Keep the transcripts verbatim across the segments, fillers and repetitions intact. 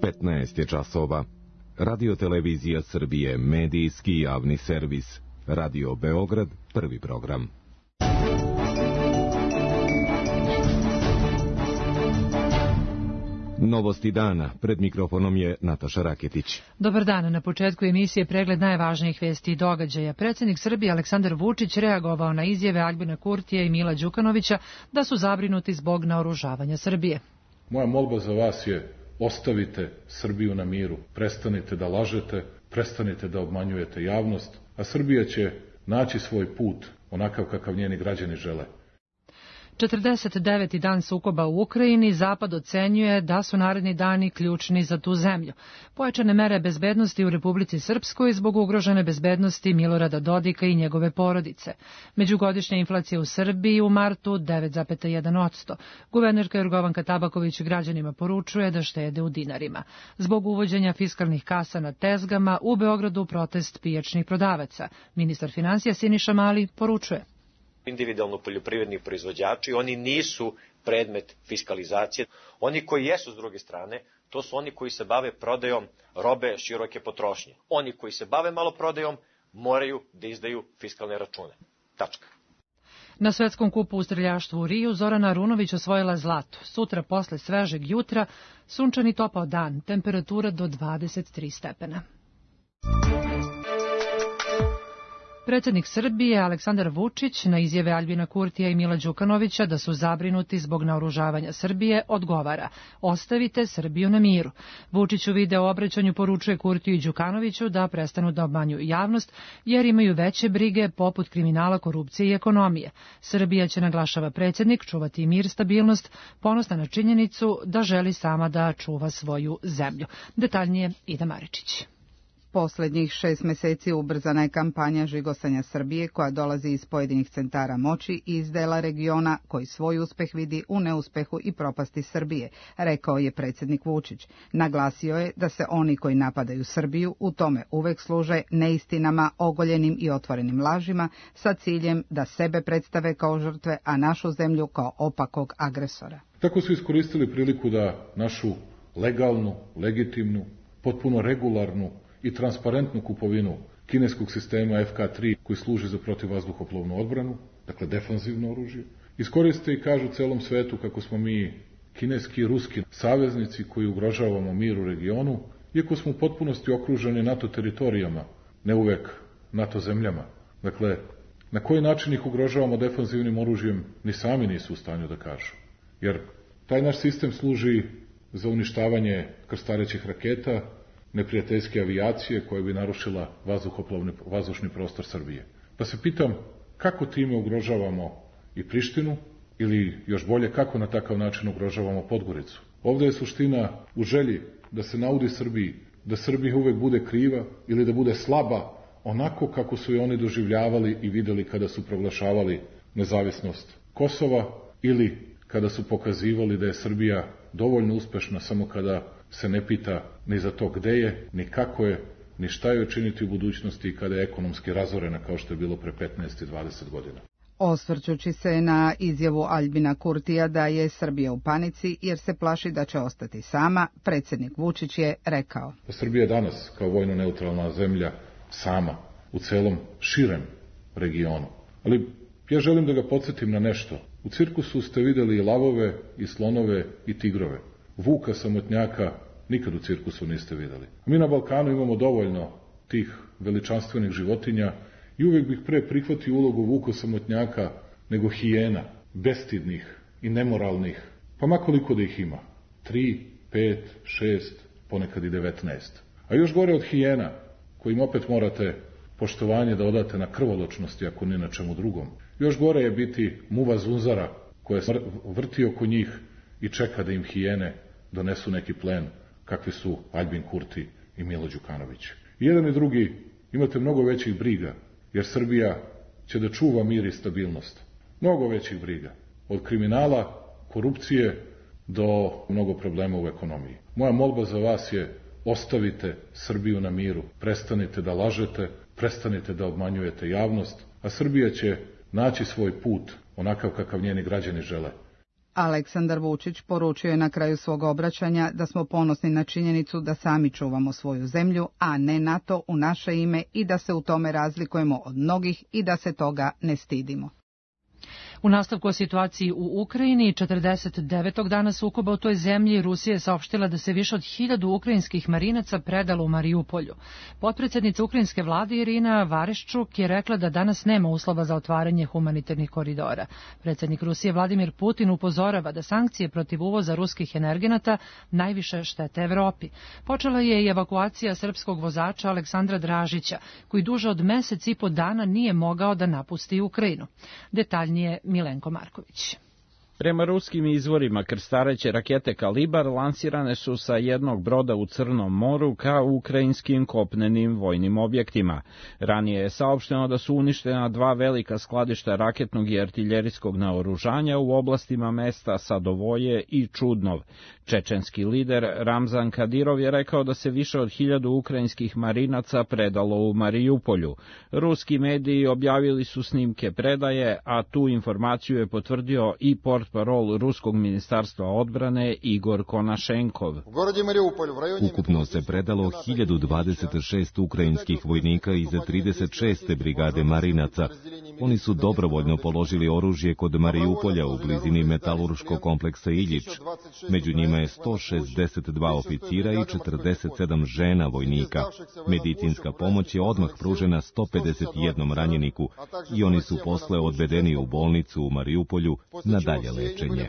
petnaest je časova. Radio Televizija Srbije, medijski javni servis. Radio Beograd, prvi program. Novosti dana. Pred mikrofonom je Nataša Raketić. Dobar dan. Na početku emisije pregled najvažnijih vesti i događaja. Predsjednik Srbije Aleksandar Vučić reagovao na izjave Aljbina Kurtija i Mila Đukanovića da su zabrinuti zbog naoružavanja Srbije. Moja molba za vas je: ostavite Srbiju na miru, prestanite da lažete, prestanite da obmanjujete javnost, a Srbija će naći svoj put onakav kakav njeni građani žele. četrdeset deveti dan sukoba u Ukrajini, Zapad ocenjuje da su naredni dani ključni za tu zemlju. Pojačane mere bezbednosti u Republici Srpskoj zbog ugrožene bezbednosti Milorada Dodika i njegove porodice. Međugodišnja inflacija u Srbiji u martu devet zarez jedan posto. Guvernerka Jorgovanka Tabaković građanima poručuje da štede u dinarima. Zbog uvođenja fiskalnih kasa na tezgama u Beogradu protest pijačnih prodavaca. Ministar finansija Siniša Mali poručuje: individualno poljoprivredni proizvođači, oni nisu predmet fiskalizacije. Oni koji jesu s druge strane, to su oni koji se bave prodajom robe široke potrošnje. Oni koji se bave maloprodajom moraju da izdaju fiskalne račune. Tačka. Na svetskom kupu u streljaštvu u Riju Zorana Arunović osvojila zlato. Sutra posle svežeg jutra sunčani topao dan, temperatura do dvadeset tri stepena. Predsjednik Srbije Aleksandar Vučić na izjave Aljbina Kurtija i Mila Đukanovića da su zabrinuti zbog naoružavanja Srbije odgovara: ostavite Srbiju na miru. Vučić u video obraćanju poručuje Kurtiju i Đukanoviću da prestanu da obmanjuju javnost jer imaju veće brige poput kriminala, korupcije i ekonomije. Srbija će, naglašava predsjednik, čuvati mir, stabilnost, ponosna na činjenicu da želi sama da čuva svoju zemlju. Detaljnije Ida Maričić. Poslednjih šest meseci ubrzana je kampanja žigosanja Srbije koja dolazi iz pojedinih centara moći i iz dela regiona koji svoj uspeh vidi u neuspehu i propasti Srbije, rekao je predsjednik Vučić. Naglasio je da se oni koji napadaju Srbiju u tome uvek služe neistinama, ogoljenim i otvorenim lažima sa ciljem da sebe predstave kao žrtve, a našu zemlju kao opakog agresora. Tako su iskoristili priliku da našu legalnu, legitimnu, potpuno regularnu i transparentnu kupovinu kineskog sistema F K tri koji služi za protivvazduhoplovnu odbranu, dakle defanzivno oružje, iskoriste i kažu celom svetu kako smo mi kineski i ruski saveznici koji ugrožavamo mir u regionu, iako smo u potpunosti okruženi NATO teritorijama, ne uvek NATO zemljama. Dakle, na koji način ih ugrožavamo defanzivnim oružjem, ni sami nisu u stanju da kažu. Jer taj naš sistem služi za uništavanje krstarećih raketa, neprijateljske avijacije koja bi narušila vazduhoplovni, vazdušni prostor Srbije. Pa se pitam kako time ugrožavamo i Prištinu ili još bolje kako na takav način ugrožavamo Podgoricu. Ovde je suština u želji da se naudi Srbiji, da Srbija uvek bude kriva ili da bude slaba onako kako su je oni doživljavali i videli kada su proglašavali nezavisnost Kosova ili kada su pokazivali da je Srbija dovoljno uspešna samo kada se ne pita ni za to gde je, ni kako je, ni šta je učiniti u budućnosti i kada je ekonomski razorena kao što je bilo pre petnaest i dvadeset godina. Osvrćući se na izjavu Aljbina Kurtija da je Srbija u panici jer se plaši da će ostati sama, predsjednik Vučić je rekao: Srbija je danas kao vojno neutralna zemlja sama u celom širem regionu. Ali ja želim da ga podsjetim na nešto. U cirkusu ste videli i lavove, i slonove, i tigrove. Vuka samotnjaka nikad u cirkusu niste videli. Mi na Balkanu imamo dovoljno tih veličanstvenih životinja i uvek bih pre prihvatio ulogu vuka samotnjaka nego hijena, bestidnih i nemoralnih, pa makoliko da ih ima. Tri, pet, šest, ponekad i devetnaest. A još gore od hijena, kojim opet morate poštovanje da odate na krvoločnosti, ako ni na čemu drugom. Još gore je biti muva zunzara koja se vrti oko njih i čeka da im hijene donesu neki plen, kakvi su Aljbin Kurti i Milo Đukanović. I jedan i drugi imate mnogo većih briga, jer Srbija će da čuva mir i stabilnost. Mnogo većih briga. Od kriminala, korupcije do mnogo problema u ekonomiji. Moja molba za vas je: ostavite Srbiju na miru, prestanite da lažete, prestanite da obmanjujete javnost, a Srbija će naći svoj put onakav kakav njeni građani žele. Aleksandar Vučić poručio je na kraju svog obraćanja da smo ponosni na činjenicu da sami čuvamo svoju zemlju, a ne NATO u naše ime i da se u tome razlikujemo od mnogih i da se toga ne stidimo. U nastavku o situaciji u Ukrajini, četrdeset devetog dana sukoba u toj zemlji, Rusija je saopštila da se više od hiljadu ukrajinskih marinaca predalo u Marijupolju. Potpredsjednica ukrajinske vlade Irina Vereshchuk je rekla da danas nema uslova za otvaranje humanitarnih koridora. Predsjednik Rusije Vladimir Putin upozorava da sankcije protiv uvoza ruskih energenata najviše štete Evropi. Počela je i evakuacija srpskog vozača Aleksandra Dražića, koji duže od mesec i po dana nije mogao da napusti Ukrajinu. Detaljnije Milenko Marković. Prema ruskim izvorima, krstareće rakete Kalibar lansirane su sa jednog broda u Crnom moru ka ukrajinskim kopnenim vojnim objektima. Ranije je saopšteno da su uništena dva velika skladišta raketnog i artiljerijskog naoružanja u oblastima mesta Sadovoje i Čudnov. Čečenski lider Ramzan Kadirov je rekao da se više od hiljadu ukrajinskih marinaca predalo u Marijupolju. Ruski mediji objavili su snimke predaje, a tu informaciju je potvrdio i portparol Ruskog ministarstva odbrane Igor Konašenkov. Ukupno se predalo hiljadu dvadeset šest ukrajinskih vojnika iz trideset šeste brigade marinaca. Oni su dobrovoljno položili oružje kod Marijupolja u blizini metalurškog kompleksa Iljič. Među njima je sto šezdeset dva oficira i četrdeset sedam žena vojnika. Medicinska pomoć je odmah pružena sto pedeset jednom ranjeniku i oni su posle odvedeni u bolnicu u Marijupolju na dalje lečenje.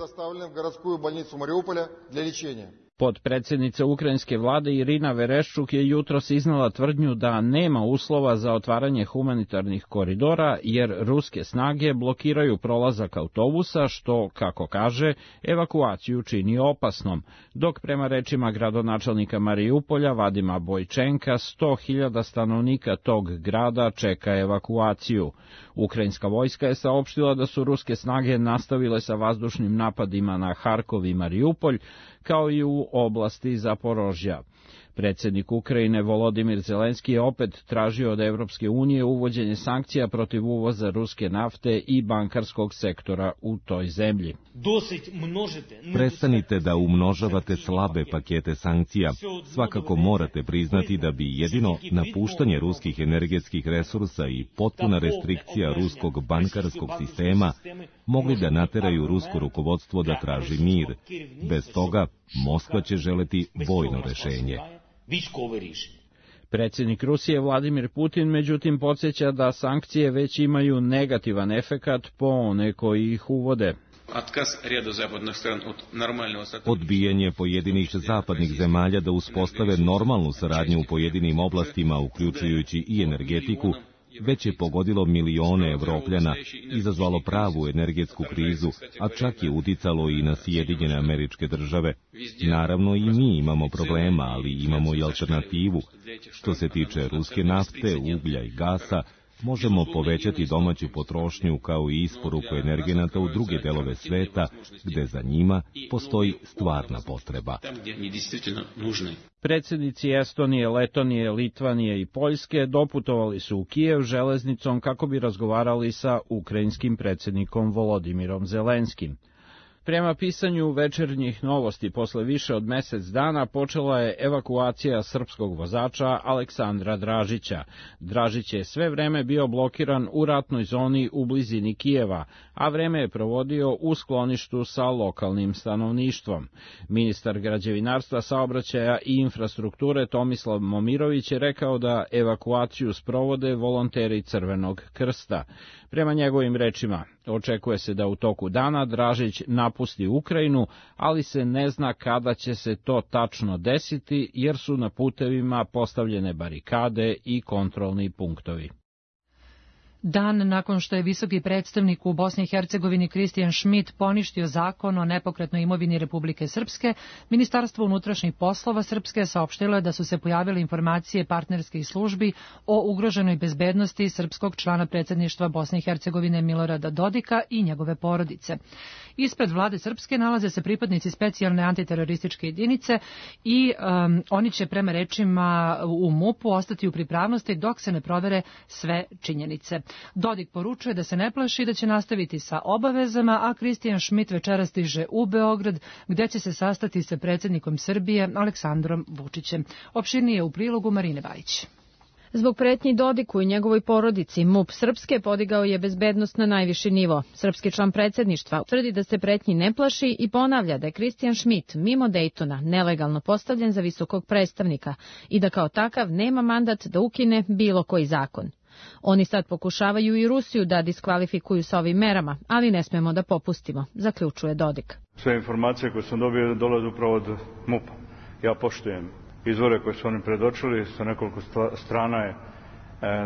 Potpredsjednica ukrajinske vlade Irina Vereshchuk je jutros iznala tvrdnju da nema uslova za otvaranje humanitarnih koridora jer ruske snage blokiraju prolazak autobusa što, kako kaže, evakuaciju čini opasnom, dok prema rečima gradonačelnika Marijupolja Vadima Bojčenka sto hiljada stanovnika tog grada čeka evakuaciju. Ukrajinska vojska je saopštila da su ruske snage nastavile sa vazdušnim napadima na Harkov i Marijupolj, kao i u oblasti Zaporožja. Predsjednik Ukrajine Volodimir Zelenski je opet tražio od Evropske unije uvođenje sankcija protiv uvoza ruske nafte i bankarskog sektora u toj zemlji. Prestanite da umnožavate slabe pakete sankcija. Svakako morate priznati da bi jedino napuštanje ruskih energetskih resursa i potpuna restrikcija ruskog bankarskog sistema mogli da nateraju rusko rukovodstvo da traži mir. Bez toga Moskva će želeti vojno rešenje. Predsjednik Rusije Vladimir Putin međutim podsjeća da sankcije već imaju negativan efekat po one koji ih uvode. Odbijanje pojedinih zapadnih zemalja da uspostave normalnu saradnju u pojedinim oblastima, uključujući i energetiku, već je pogodilo milione Evropljana, izazvalo pravu energetsku krizu, a čak je uticalo i na Sjedinjene Američke Države. Naravno i mi imamo problema, ali imamo i alternativu. Što se tiče ruske nafte, uglja i gasa, možemo povećati domaću potrošnju kao i isporuku energenata u druge delove sveta, gde za njima postoji stvarna potreba. Predsjednici Estonije, Letonije, Litvanije i Poljske doputovali su u Kijev železnicom kako bi razgovarali sa ukrajinskim predsjednikom Volodimirom Zelenskim. Prema pisanju Večernjih novosti, posle više od mesec dana počela je evakuacija srpskog vozača Aleksandra Dražića. Dražić je sve vreme bio blokiran u ratnoj zoni u blizini Kijeva, a vreme je provodio u skloništu sa lokalnim stanovništvom. Ministar građevinarstva, saobraćaja i infrastrukture Tomislav Momirović je rekao da evakuaciju sprovode volonteri Crvenog krsta. Prema njegovim rečima, očekuje se da u toku dana Dražić napusti Ukrajinu, ali se ne zna kada će se to tačno desiti, jer su na putevima postavljene barikade i kontrolni punktovi. Dan nakon što je visoki predstavnik u Bosni i Hercegovini Kristijan Schmidt poništio zakon o nepokretnoj imovini Republike Srpske, Ministarstvo unutrašnjih poslova Srpske saopštilo je da su se pojavile informacije partnerskih službi o ugroženoj bezbednosti srpskog člana predsjedništva Bosne i Hercegovine Milorada Dodika i njegove porodice. Ispred vlade Srpske nalaze se pripadnici specijalne antiterorističke jedinice i um, oni će prema rečima u MUP-u ostati u pripravnosti dok se ne provere sve činjenice. Dodik poručuje da se ne plaši da će nastaviti sa obavezama, a Kristijan Šmit večeras stiže u Beograd, gde će se sastati sa predsjednikom Srbije Aleksandrom Vučićem. Opširnije u prilogu Marine Bajić. Zbog pretnji Dodiku i njegovoj porodici, MUP Srpske podigao je bezbednost na najviši nivo. Srpski član predsjedništva tvrdi da se pretnji ne plaši i ponavlja da je Kristijan Šmit mimo Dejtona nelegalno postavljen za visokog predstavnika i da kao takav nema mandat da ukine bilo koji zakon. Oni sad pokušavaju i Rusiju da diskvalifikuju sa ovim merama, ali ne smemo da popustimo, zaključuje Dodik. Sve informacije koje sam dobio dolaze upravo od MUP-a. Ja poštujem izvore koje su oni predočili, sa nekoliko strana je e,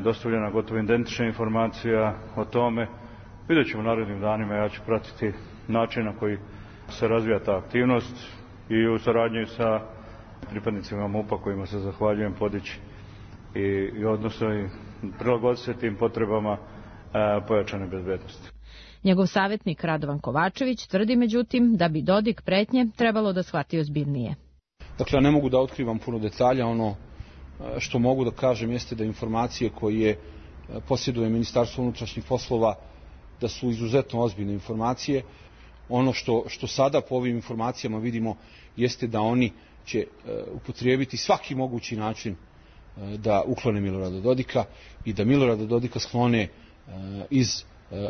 dostavljena gotovo identična informacija o tome. Vidjet ćemo u narednim danima, ja ću pratiti način na koji se razvija ta aktivnost i u saradnji sa pripadnicima MUP-a kojima se zahvaljujem podići i, i odnosno i prilagoditi se tim potrebama e, pojačane bezbednosti. Njegov savjetnik Radovan Kovačević tvrdi međutim da bi Dodik pretnje trebalo da shvati ozbiljnije. Dakle, ja ne mogu da otkrivam puno detalja, ono što mogu da kažem jeste da informacije koje posjeduje Ministarstvo unutrašnjih poslova da su izuzetno ozbiljne informacije. Ono što, što sada po ovim informacijama vidimo jeste da oni će upotrijebiti svaki mogući način da uklone Milorada Dodika i da Milorada Dodika sklone iz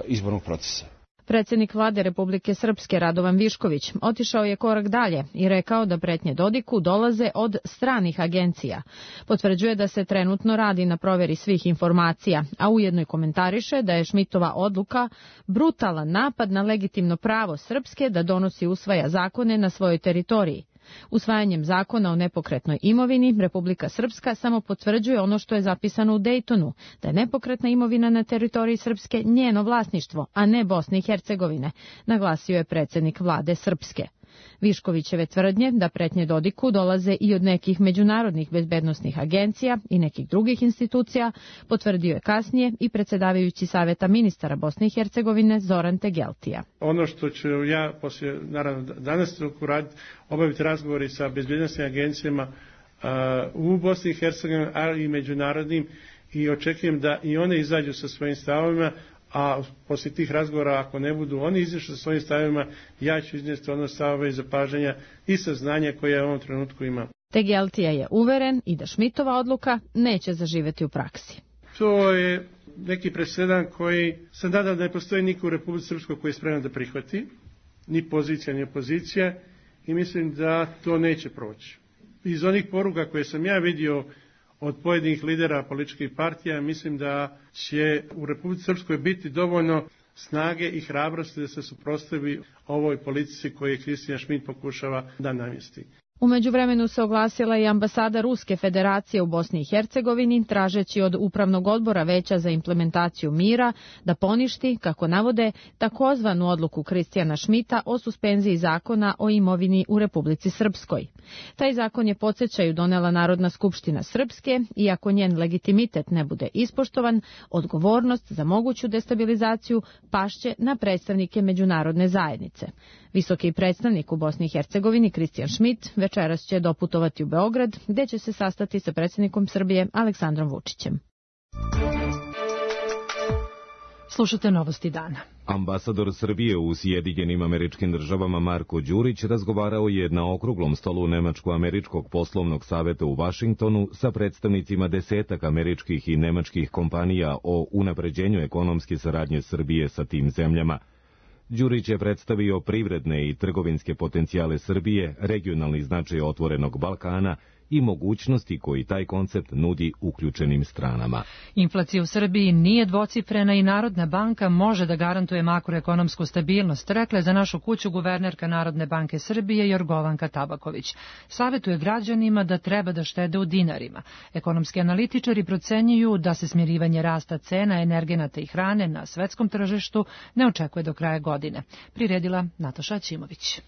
izbornog procesa. Predsjednik vlade Republike Srpske Radovan Višković otišao je korak dalje i rekao da pretnje Dodiku dolaze od stranih agencija. Potvrđuje da se trenutno radi na provjeri svih informacija, a ujedno i komentariše da je Šmitova odluka brutalan napad na legitimno pravo Srpske da donosi i usvaja zakone na svojoj teritoriji. Usvajanjem zakona o nepokretnoj imovini, Republika Srpska samo potvrđuje ono što je zapisano u Dejtonu, da je nepokretna imovina na teritoriji Srpske njeno vlasništvo, a ne Bosne i Hercegovine, naglasio je predsjednik vlade Srpske. Viškovićeve tvrdnje da pretnje Dodiku dolaze i od nekih međunarodnih bezbednosnih agencija i nekih drugih institucija potvrdio je kasnije i predsjedavajući Saveta ministara Bosne i Hercegovine Zoran Tegeltija. Ono što ću ja poslije, naravno danas raditi, obaviti razgovori sa bezbednosnim agencijama uh, u Bosni i Hercegovini, ali i međunarodnim, i očekujem da i one izađu sa svojim stavovima, a poslije tih razgovora, ako ne budu oni izašli sa svojim stavima, ja ću iznijeti ono stavove i zapažanja i saznanja koje ja u ovom trenutku imam. Tegeltija je uveren i da Šmitova odluka neće zaživjeti u praksi. To je neki presedan koji se nadam da ne postoji niko u Republici Srpskoj koji je spreman da prihvati, ni pozicija, ni opozicija, i mislim da to neće proći. Iz onih poruka koje sam ja vidio od pojedinih lidera političkih partija, mislim da će u Republici Srpskoj biti dovoljno snage i hrabrosti da se suprotstavi ovoj politici koju Kristijan Šmit pokušava da namjesti. U međuvremenu se oglasila i ambasada Ruske federacije u Bosni i Hercegovini, tražeći od Upravnog odbora Veća za implementaciju mira da poništi, kako navode, takozvanu odluku Kristijana Šmita o suspenziji zakona o imovini u Republici Srpskoj. Taj zakon je, podsjećaju, donela Narodna skupština Srpske i ako njen legitimitet ne bude ispoštovan, odgovornost za moguću destabilizaciju pašće na predstavnike međunarodne zajednice. Visoki predstavnik u Bosni i Hercegovini Kristijan Šmit večeras će doputovati u Beograd, gdje će se sastati sa predsjednikom Srbije Aleksandrom Vučićem. Slušate novosti dana. Ambasador Srbije u Sjedinjenim Američkim Državama Marko Đurić razgovarao je na okruglom stolu Nemačko-američkog poslovnog saveta u Vašingtonu sa predstavnicima desetak američkih i nemačkih kompanija o unapređenju ekonomske saradnje Srbije sa tim zemljama. Đurić je predstavio privredne i trgovinske potencijale Srbije, regionalni značaj otvorenog Balkana i mogućnosti koji taj koncept nudi uključenim stranama. Inflacija u Srbiji nije dvocifrena i Narodna banka može da garantuje makroekonomsku stabilnost, rekla je za našu kuću guvernerka Narodne banke Srbije Jorgovanka Tabaković. Savetuje građanima da treba da štede u dinarima. Ekonomski analitičari procenjuju da se smirivanje rasta cena energenata i hrane na svetskom tržištu ne očekuje do kraja godine. Priredila Nataša Ćimović.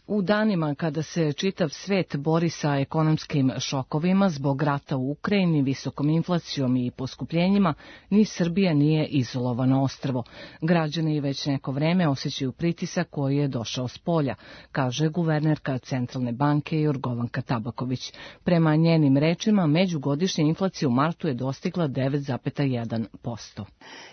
U danima kada se čitav svet bori sa ekonomskim šokovima zbog rata u Ukrajini, visokom inflacijom i poskupljenjima, ni Srbija nije izolovano ostrvo. Građani već neko vreme osjećaju pritisak koji je došao s polja, kaže guvernerka Centralne banke Jorgovanka Tabaković. Prema njenim rečima, međugodišnja inflacija u martu je dostigla devet zarez jedan posto.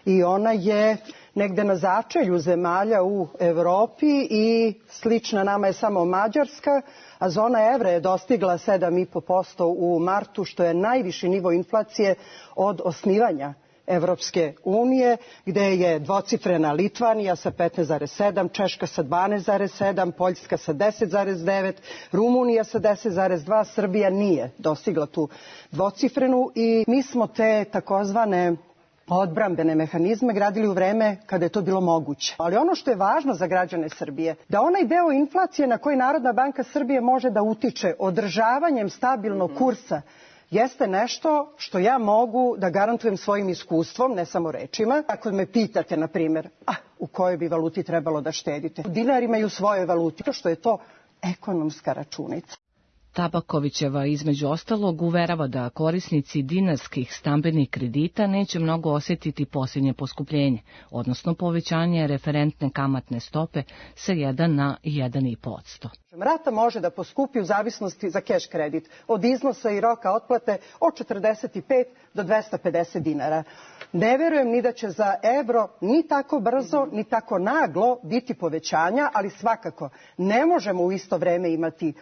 I ona je negde na začelju zemalja u Evropi i slična nama je samo Mađarska, a zona evra je dostigla sedam zarez pet posto u martu, što je najviši nivo inflacije od osnivanja Evropske unije, gde je dvocifrena Litvanija sa petnaest zarez sedam, Češka sa dvanaest zarez sedam, Poljska sa deset zarez devet, Rumunija sa deset zarez dva, Srbija nije dostigla tu dvocifrenu i mi smo te takozvane odbrambene mehanizme gradili u vreme kada je to bilo moguće. Ali ono što je važno za građane Srbije, da onaj deo inflacije na koji Narodna banka Srbije može da utiče održavanjem stabilnog kursa, jeste nešto što ja mogu da garantujem svojim iskustvom, ne samo rečima. Ako me pitate, na primjer, a, u kojoj bi valuti trebalo da štedite? U dinarima i u svojoj valuti, što je to ekonomska računica. Tabakovićeva između ostalog uverava da korisnici dinarskih stambenih kredita neće mnogo osjetiti posljednje poskupljenje, odnosno povećanje referentne kamatne stope sa jedan na jedan zarez pet posto. Rata može da poskupi u zavisnosti za keš kredit od iznosa i roka otplate od četrdeset pet do dvesta pedeset dinara. Ne verujem ni da će za evro ni tako brzo, ni tako naglo biti povećanja, ali svakako ne možemo u isto vreme imati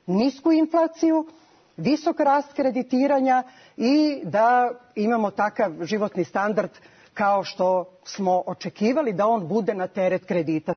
nisku inflaciju, visok rast kreditiranja i da imamo takav životni standard kao što smo očekivali da on bude na teret kredita.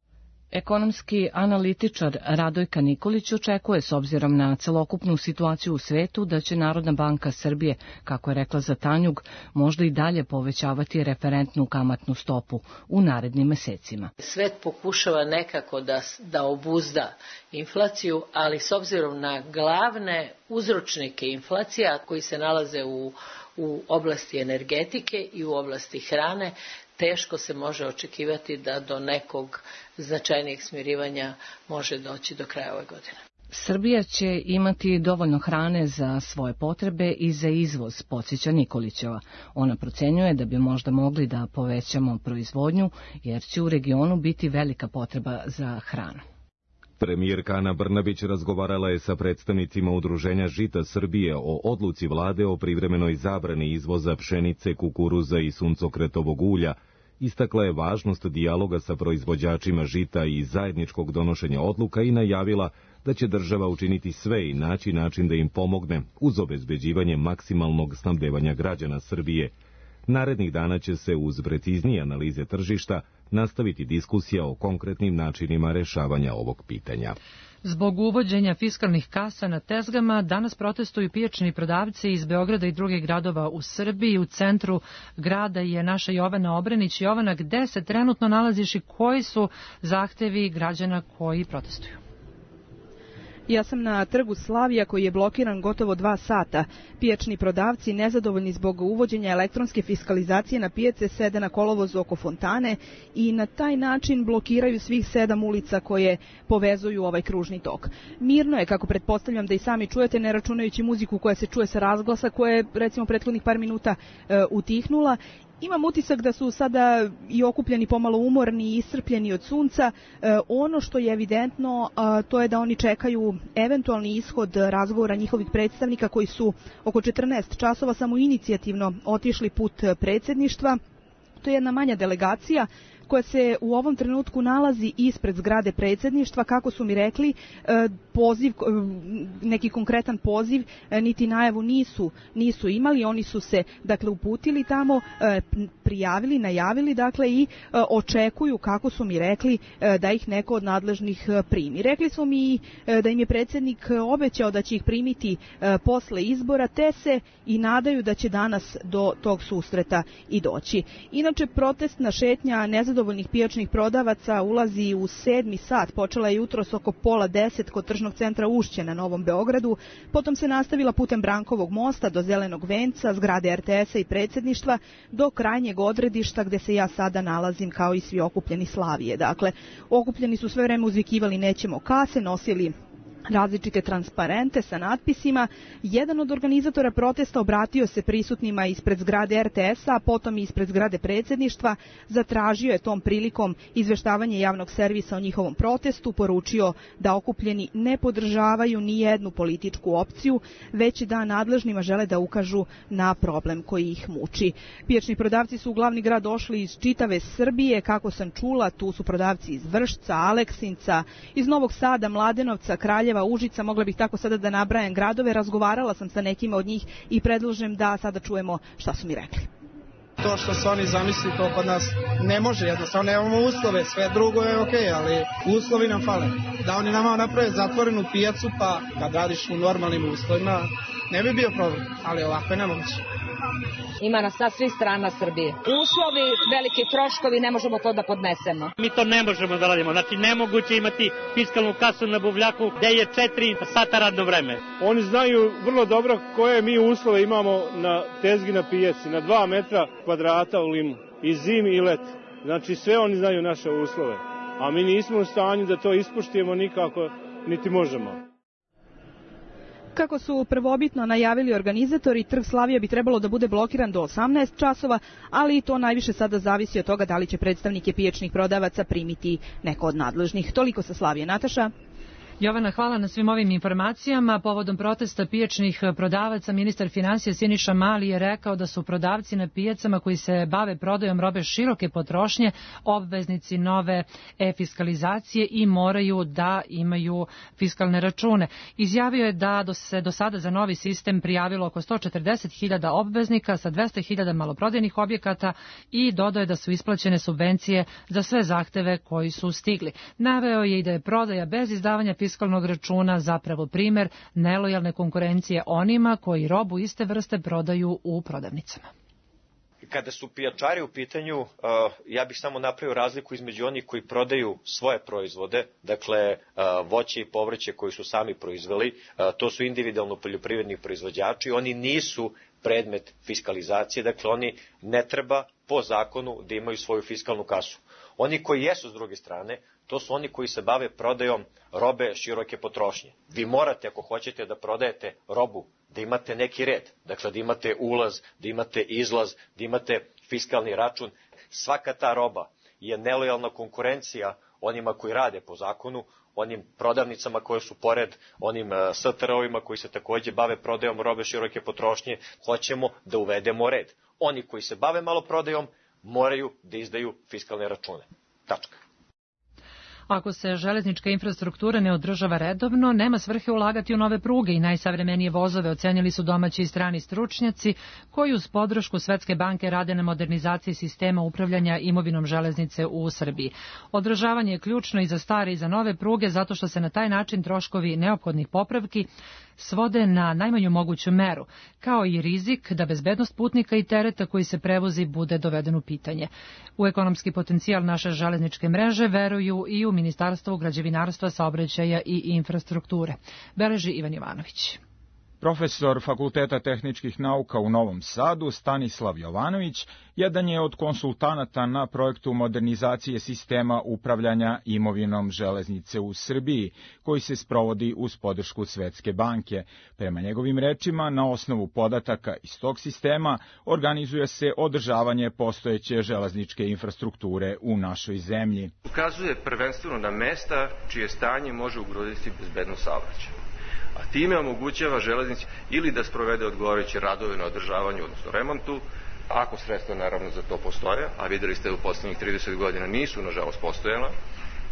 Ekonomski analitičar Radojka Nikolić očekuje, s obzirom na celokupnu situaciju u svetu, da će Narodna banka Srbije, kako je rekla za Tanjug, možda i dalje povećavati referentnu kamatnu stopu u narednim mesecima. Svet pokušava nekako da, da obuzda inflaciju, ali s obzirom na glavne uzročnike inflacija koji se nalaze u, u oblasti energetike i u oblasti hrane, teško se može očekivati da do nekog značajnijeg smirivanja može doći do kraja ove godine. Srbija će imati dovoljno hrane za svoje potrebe i za izvoz, podsjeća Nikolićeva. Ona procenjuje da bi možda mogli da povećamo proizvodnju, jer će u regionu biti velika potreba za hranu. Premijerka Ana Brnabić razgovarala je sa predstavnicima Udruženja Žita Srbije o odluci vlade o privremenoj zabrani izvoza pšenice, kukuruza i suncokretovog ulja. Istakla je važnost dijaloga sa proizvođačima žita i zajedničkog donošenja odluka i najavila da će država učiniti sve i naći način da im pomogne uz obezbeđivanje maksimalnog snabdevanja građana Srbije. Narednih dana će se uz preciznije analize tržišta nastaviti diskusija o konkretnim načinima rešavanja ovog pitanja. Zbog uvođenja fiskalnih kasa na tezgama danas protestuju pijačni prodavci iz Beograda i drugih gradova u Srbiji. U centru grada je naša Jovana Obrenić. Jovana, gde se trenutno nalaziš i koji su zahtevi građana koji protestuju? Ja sam na trgu Slavija koji je blokiran gotovo dva sata. Pijačni prodavci, nezadovoljni zbog uvođenja elektronske fiskalizacije na pijace, sede na kolovozu oko fontane i na taj način blokiraju svih sedam ulica koje povezuju ovaj kružni tok. Mirno je, kako pretpostavljam da i sami čujete, ne računajući muziku koja se čuje sa razglasa, koja je recimo prethodnih par minuta e, utihnula. Imam utisak da su sada i okupljeni pomalo umorni i iscrpljeni od sunca. E, ono što je evidentno, a, to je da oni čekaju eventualni ishod razgovora njihovih predstavnika koji su oko četrnaest časova samo inicijativno otišli put predsjedništva. To je jedna manja delegacija koja se u ovom trenutku nalazi ispred zgrade predsjedništva. Kako su mi rekli, poziv, neki konkretan poziv, niti najavu nisu, nisu imali. Oni su se, dakle, uputili tamo, prijavili, najavili, dakle, i očekuju, kako su mi rekli, da ih neko od nadležnih primi. Rekli su mi da im je predsjednik obećao da će ih primiti posle izbora, te se i nadaju da će danas do tog susreta i doći. Inače, protestna šetnja nezadovoljna nezadovoljnih pijačnih prodavaca ulazi u sedmi sat. Počela je jutros oko pola deset kod tržnog centra Ušće na Novom Beogradu. Potom se nastavila putem Brankovog mosta do Zelenog venca, zgrade er te esa i predsjedništva, do krajnjeg odredišta gde se ja sada nalazim kao i svi okupljeni Slavije. Dakle, okupljeni su sve vreme uzvikivali nećemo kase, nosili različite transparente sa natpisima. Jedan od organizatora protesta obratio se prisutnima ispred zgrade er te esa, a potom i ispred zgrade predsjedništva. Zatražio je tom prilikom izveštavanje javnog servisa o njihovom protestu, poručio da okupljeni ne podržavaju ni jednu političku opciju, već da nadležnima žele da ukažu na problem koji ih muči. Pijačni prodavci su u glavni grad došli iz čitave Srbije, kako sam čula, tu su prodavci iz Vršca, Aleksinca, iz Novog Sada, Mladenovca, Kraljeva, Užica, mogla bih tako sada da nabrajam gradove. Razgovarala sam sa nekima od njih i predlažem da sada čujemo šta su mi rekli. To što se oni zamisli, to kod nas ne može, jednostavno nemamo uslove, sve drugo je okej, ali uslovi nam fale. Da oni nama naprave zatvorenu pijacu, pa kad radiš u normalnim uslovima, ne bi bio problem, ali ovako je nemoguće. Ima nas sa svih strana Srbije. Uslovi, veliki troškovi, ne možemo to da podnesemo. Mi to ne možemo da radimo. Znači, nemoguće imati fiskalnu kasu na buvljaku gde je četiri sata radno vreme. Oni znaju vrlo dobro koje mi uslove imamo na tezgi na pijaci, na dva metra kvadrata u Limu, i zimi i leti. Znači, sve oni znaju naše uslove. A mi nismo u stanju da to ispoštujemo nikako, niti možemo. Kako su prvobitno najavili organizatori, trg Slavija bi trebalo da bude blokiran do osamnaest časova, ali to najviše sada zavisi od toga da li će predstavnike pijačnih prodavaca primiti neko od nadležnih. Toliko sa Slavije. Nataša? Jovana, hvala na svim ovim informacijama. Povodom protesta pijačnih prodavaca, ministar finansija Siniša Mali je rekao da su prodavci na pijacama koji se bave prodajom robe široke potrošnje obveznici nove e-fiskalizacije i moraju da imaju fiskalne račune. Izjavio je da se do sada za novi sistem prijavilo oko sto četrdeset hiljada obveznika sa dvesta hiljada maloprodajnih objekata i dodao je da su isplaćene subvencije za sve zahteve koji su stigli. Naveo je i da je prodaja bez izdavanja fiskalnog računa zapravo primer nelojalne konkurencije onima koji robu iste vrste prodaju u prodavnicama. Kada su pijačari u pitanju, ja bih samo napravio razliku između onih koji prodaju svoje proizvode, dakle voće i povrće koji su sami proizveli, to su individualno poljoprivredni proizvođači, oni nisu predmet fiskalizacije, dakle oni ne treba po zakonu da imaju svoju fiskalnu kasu. Oni koji jesu s druge strane, to su oni koji se bave prodajom robe široke potrošnje. Vi morate, ako hoćete da prodajete robu, da imate neki red, dakle da imate ulaz, da imate izlaz, da imate fiskalni račun. Svaka ta roba je nelojalna konkurencija onima koji rade po zakonu, onim prodavnicama koje su pored, onim es te er ovima koji se takođe bave prodajom robe široke potrošnje. Hoćemo da uvedemo red. Oni koji se bave maloprodajom moraju da izdaju fiskalne račune. Tačka. Ako se železnička infrastruktura ne održava redovno, nema svrhe ulagati u nove pruge i najsavremenije vozove, ocenili su domaći i strani stručnjaci koji uz podršku Svetske banke rade na modernizaciji sistema upravljanja imovinom železnice u Srbiji. Održavanje je ključno i za stare i za nove pruge zato što se na taj način troškovi neophodnih popravki svode na najmanju moguću meru, kao i rizik da bezbednost putnika i tereta koji se prevozi bude doveden u pitanje. U ekonomski potencijal naše železničke mreže veruju i u Ministarstvu građevinarstva, saobraćaja i infrastrukture. Beleži Ivan Jovanović. Profesor Fakulteta tehničkih nauka u Novom Sadu, Stanislav Jovanović, jedan je od konsultanata na projektu modernizacije sistema upravljanja imovinom železnice u Srbiji, koji se sprovodi uz podršku Svetske banke. Prema njegovim rečima, na osnovu podataka iz tog sistema organizuje se održavanje postojeće železničke infrastrukture u našoj zemlji. Ukazuje prvenstveno na mesta čije stanje može ugroziti bezbednost saobraćaja, a time omogućava železnici ili da sprovede odgovarajuće radove na održavanju, odnosno remontu, ako sredstva naravno za to postoje, a videli ste u poslednjih trideset godina nisu nažalost postojala,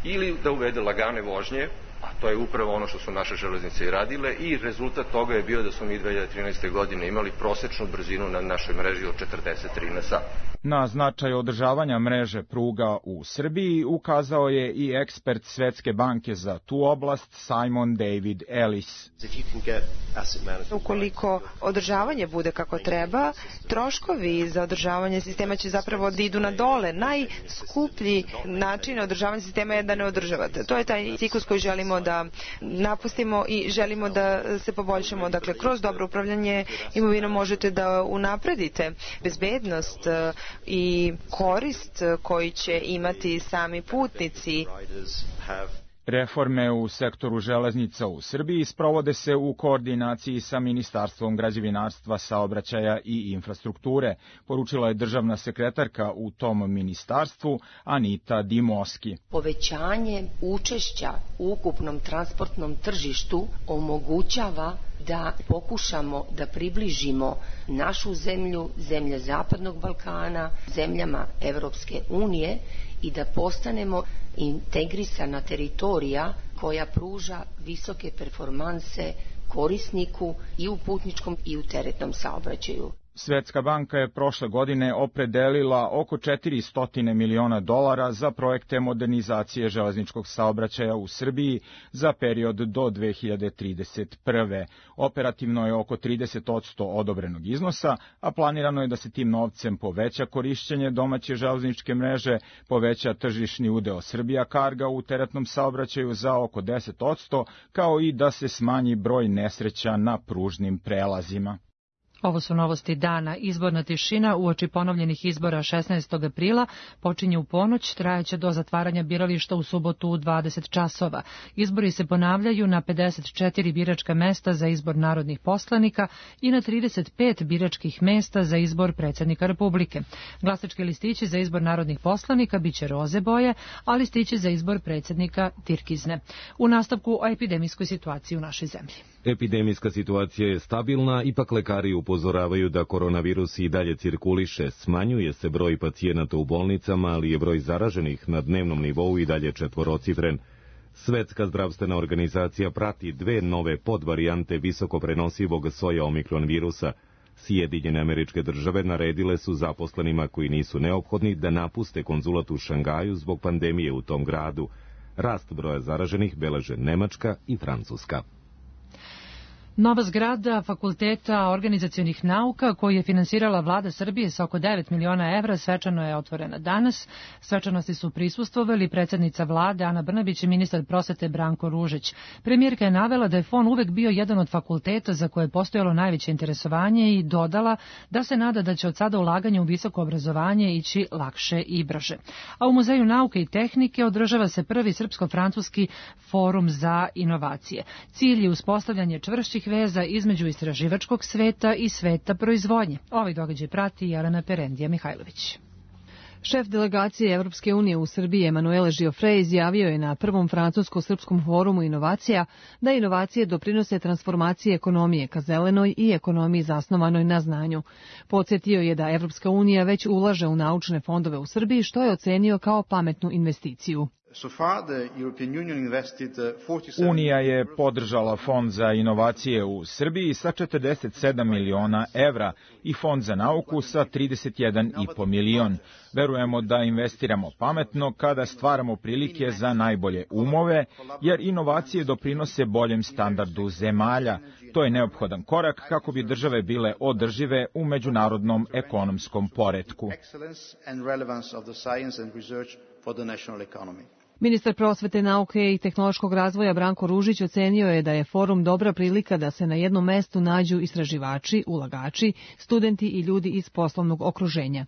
ili da uvede lagane vožnje, a to je upravo ono što su naše železnice i radile i rezultat toga je bio da smo mi dve hiljade trinaeste. godine imali prosečnu brzinu na našoj mreži od četrdeset tri na sat. Na značaj održavanja mreže pruga u Srbiji ukazao je i ekspert Svetske banke za tu oblast Simon David Ellis. Ukoliko održavanje bude kako treba, troškovi za održavanje sistema će zapravo da idu na dole. Najskuplji način održavanja sistema je da ne održavate. To je taj ciklus koji želimo da napustimo i želimo da se poboljšamo. Dakle, kroz dobro upravljanje imovinom možete da unapredite bezbednost i korist koji će imati sami putnici. Reforme u sektoru železnica u Srbiji sprovode se u koordinaciji sa Ministarstvom građevinarstva, saobraćaja i infrastrukture, poručila je državna sekretarka u tom ministarstvu Anita Dimoski. Povećanje učešća u ukupnom transportnom tržištu omogućava da pokušamo da približimo našu zemlju, zemlje Zapadnog Balkana, zemljama Evropske unije i da postanemo integrisana teritorija koja pruža visoke performanse korisniku i u putničkom i u teretnom saobraćaju. Svetska banka je prošle godine opredelila oko četiristo miliona dolara za projekte modernizacije železničkog saobraćaja u Srbiji za period do dve hiljade trideset prve. Operativno je oko trideset posto odobrenog iznosa, a planirano je da se tim novcem poveća korišćenje domaće železničke mreže, poveća tržišni udeo Srbija Karga u teretnom saobraćaju za oko deset posto, kao i da se smanji broj nesreća na pružnim prelazima. Ovo su novosti dana. Izborna tišina uoči ponovljenih izbora šesnaestog aprila počinje u ponoć, trajaće do zatvaranja birališta u subotu u dvadeset časova. Izbori se ponavljaju na pedeset četiri biračka mesta za izbor narodnih poslanika i na trideset pet biračkih mesta za izbor predsjednika Republike. Glasački listići za izbor narodnih poslanika biće roze boje, a listići za izbor predsjednika tirkizne. U nastavku o epidemijskoj situaciji u našoj zemlji. Epidemijska situacija je stabilna, ipak lekari upozoravaju da koronavirus i dalje cirkuliše, smanjuje se broj pacijenata u bolnicama, ali je broj zaraženih na dnevnom nivou i dalje četvorocifren. Svetska zdravstvena organizacija prati dve nove podvarijante visoko prenosivog soja omikron virusa. Sjedinjene Američke Države naredile su zaposlenima koji nisu neophodni da napuste konzulat u Šangaju zbog pandemije u tom gradu. Rast broja zaraženih beleže Nemačka i Francuska. Nova zgrada Fakulteta organizacionih nauka, koju je finansirala vlada Srbije sa oko devet miliona evra, svečano je otvorena danas. Svečanosti su prisustvovali predsjednica vlade Ana Brnabić i ministar prosvete Branko Ružić. Premijerka je navela da je F O N uvek bio jedan od fakulteta za koje je postojalo najveće interesovanje i dodala da se nada da će od sada ulaganje u visoko obrazovanje ići lakše i brže. A u Muzeju nauke i tehnike održava se prvi srpsko-francuski forum za inovacije. Cilj je uspostavljanje čvršćih veza između istraživačkog sveta i sveta proizvodnje. Ovaj događaj prati Jelena Perendija Mihajlović. Šef delegacije Evropske unije u Srbiji Emanuele Giofre izjavio je na prvom francusko-srpskom forumu inovacija da inovacije doprinose transformaciji ekonomije ka zelenoj i ekonomiji zasnovanoj na znanju. Podsjetio je da Evropska unija već ulaže u naučne fondove u Srbiji, što je ocenio kao pametnu investiciju. Unija je podržala Fond za inovacije u Srbiji sa četrdeset sedam miliona evra i Fond za nauku sa trideset jedan i po milion. Verujemo da investiramo pametno kada stvaramo prilike za najbolje umove, jer inovacije doprinose boljem standardu zemalja. To je neophodan korak kako bi države bile održive u međunarodnom ekonomskom poretku. Ministar prosvete, nauke i tehnološkog razvoja Branko Ružić ocenio je da je forum dobra prilika da se na jednom mestu nađu istraživači, ulagači, studenti i ljudi iz poslovnog okruženja.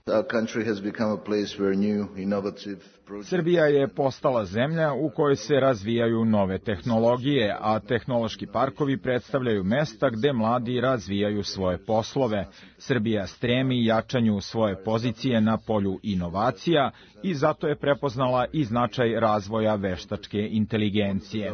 Srbija je postala zemlja u kojoj se razvijaju nove tehnologije, a tehnološki parkovi predstavljaju mesta gde mladi razvijaju svoje poslove. Srbija stremi jačanju svoje pozicije na polju inovacija i zato je prepoznala i značaj razvoja razvoja veštačke inteligencije.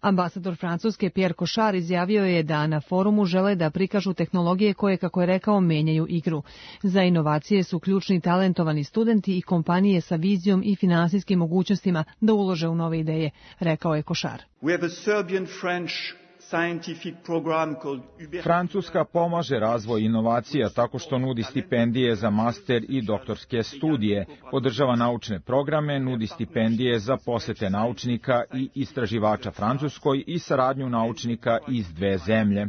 Ambasador Francuske Pierre Cochard izjavio je da na forumu žele da prikažu tehnologije koje, kako je rekao, menjaju igru. Za inovacije su ključni talentovani studenti i kompanije sa vizijom i finansijskim mogućnostima da ulože u nove ideje, rekao je Cochard. Francuska pomaže razvoj inovacija tako što nudi stipendije za master i doktorske studije, podržava naučne programe, nudi stipendije za posete naučnika i istraživača Francuskoj i saradnju naučnika iz dve zemlje.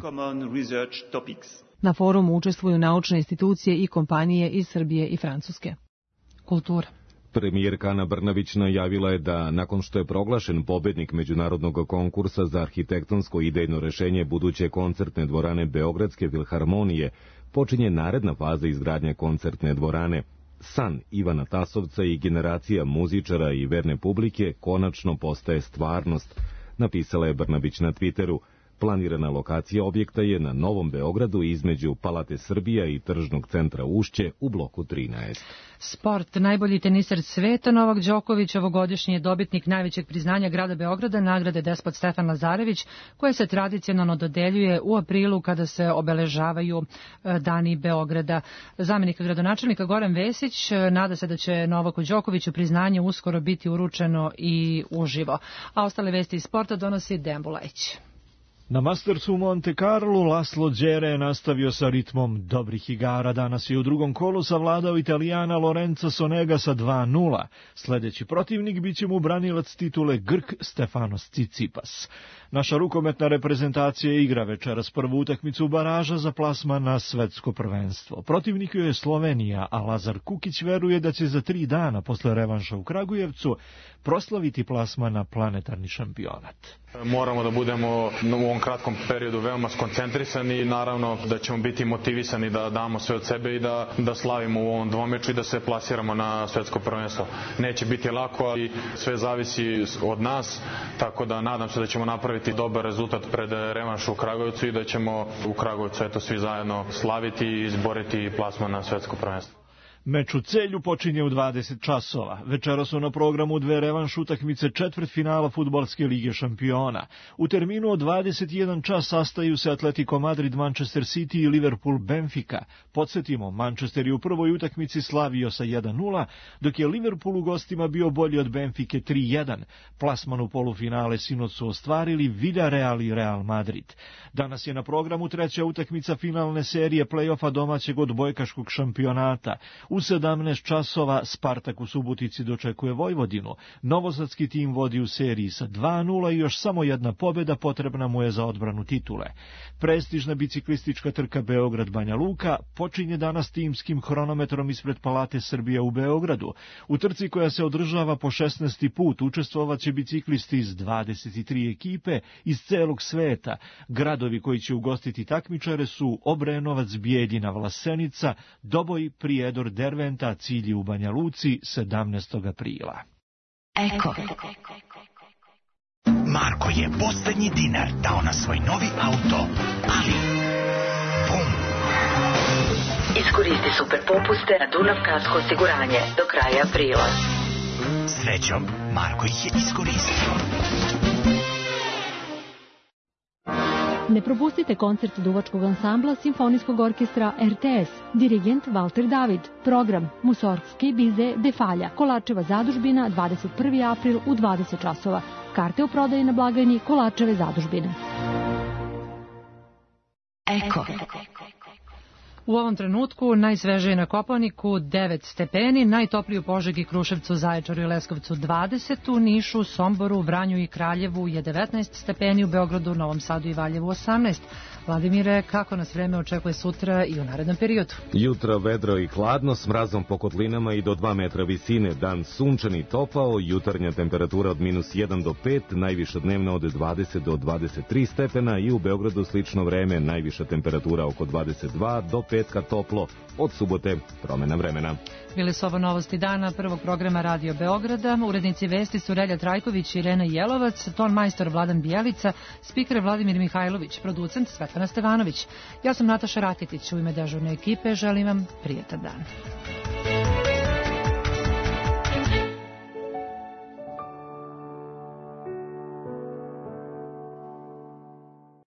Na forumu učestvuju naučne institucije i kompanije iz Srbije i Francuske. Kultura. Premijerka Ana Brnabić najavila je da, nakon što je proglašen pobednik međunarodnog konkursa za arhitektonsko idejno rešenje buduće koncertne dvorane Beogradske filharmonije, počinje naredna faza izgradnje koncertne dvorane. San Ivana Tasovca i generacija muzičara i verne publike konačno postaje stvarnost, napisala je Brnabić na Twitteru. Planirana lokacija objekta je na Novom Beogradu između Palate Srbija i Tržnog centra Ušće u bloku trinaest. Sport. Najbolji teniser sveta Novak Đoković ovogodišnji je dobitnik najvećeg priznanja grada Beograda, nagrade Despot Stefan Lazarević, koje se tradicionalno dodeljuje u aprilu kada se obeležavaju dani Beograda. Zamenik gradonačelnika Goran Vesić nada se da će Novaku Đokoviću priznanje uskoro biti uručeno i uživo. A ostale vesti iz sporta donosi Dejan Bulajić. Na Mastersu u Monte Carlo Laslo Đere je nastavio sa ritmom dobrih igara. Danas je u drugom kolu savladao Italijana Lorenza Sonega sa dva nula. Sljedeći protivnik bit će mu branilac titule Grk Stefanos Tsitsipas. Naša rukometna reprezentacija igra večeras prvu utakmicu baraža za plasman na svetsko prvenstvo. Protivnik je Slovenija, a Lazar Kukić veruje da će za tri dana posle revanša u Kragujevcu proslaviti plasman na planetarni šampionat. Moramo da budemo u ovom kratkom periodu veoma skoncentrisani i naravno da ćemo biti motivisani da damo sve od sebe i da, da slavimo u ovom dvomeču i da se plasiramo na svetsko prvenstvo. Neće biti lako, ali sve zavisi od nas, tako da nadam se da ćemo napraviti dobar rezultat pred revanšu u Kragujevcu i da ćemo u Kragujevcu eto svi zajedno slaviti i izboriti plasman na svetsko prvenstvo. Meč u Celju počinje u dvadeset časova. Večera su na programu dve revanš utakmice četvrtfinala Fudbalske lige šampiona. U terminu od dvadeset jedan čas sastaju se Atletico Madrid, Manchester City i Liverpool Benfica. Podsjetimo, Manchester je u prvoj utakmici slavio sa jedan nula, dok je Liverpool u gostima bio bolji od Benfike tri jedan. Plasman u polufinale sinoć su ostvarili Villarreal i Real Madrid. Danas je na programu treća utakmica finalne serije play-offa domaćeg odbojkaškog šampionata. U sedamnaest časova Spartak u Subotici dočekuje Vojvodinu. Novosadski tim vodi u seriji sa dva nula i još samo jedna pobjeda potrebna mu je za odbranu titule. Prestižna biciklistička trka Beograd-Banja Luka počinje danas timskim hronometrom ispred Palate Srbija u Beogradu. U trci koja se održava po šesnaesti put učestvovaće biciklisti iz dvadeset tri ekipe iz celog sveta. Gradovi koji će ugostiti takmičare su Obrenovac, Bijeljina, Vlasenica, Doboj, Prijedor, Derventa, cilj u Banja Luci sedamnaestog aprila. Eko. Marko je poslednji dinar dao na svoj novi auto, ali bum! Iskoristi super popuste na Dunav Kasko osiguranje do kraja aprila. Srećom, Marko ih je iskoristio. Ne propustite koncert duvačkog ansambla Simfonijskog orkestra R T S, dirigent Valter David, program Musorgski bize Defalja, Kolačeva zadužbina, dvadeset prvi april u dvadeset časova. Karte u prodaji na blagajni Kolačeve zadužbine. Eko. U ovom trenutku najsvežije na Kopaoniku devet stepeni, najtopliji u Požegi, Kruševcu, Zaječaru i Leskovcu dvadeset, u Nišu, Somboru, Vranju i Kraljevu je devetnaest stepeni, u Beogradu, Novom Sadu i Valjevu osamnaest. Vladimire, kako nas vreme očekuje sutra i u narednom periodu? Jutro vedro i hladno, s mrazom po kotlinama i do dva metra visine, dan sunčan i topao, jutarnja temperatura od minus jedan do pet, najviša dnevna od dvadeset do dvadeset tri stepena i u Beogradu slično vreme, najviša temperatura oko dvadeset dva do petka toplo, od subote promena vremena. Bili su ovo novosti dana prvog programa Radio Beograda. Urednici vesti su Relja Trajković i Irena Jelovac, ton majstor Vladan Bijelica, spiker Vladimir Mihajlović, producent Svetlana Stevanović. Ja sam Nataša Raketić, u ime dežurne ekipe želim vam prijetan dan.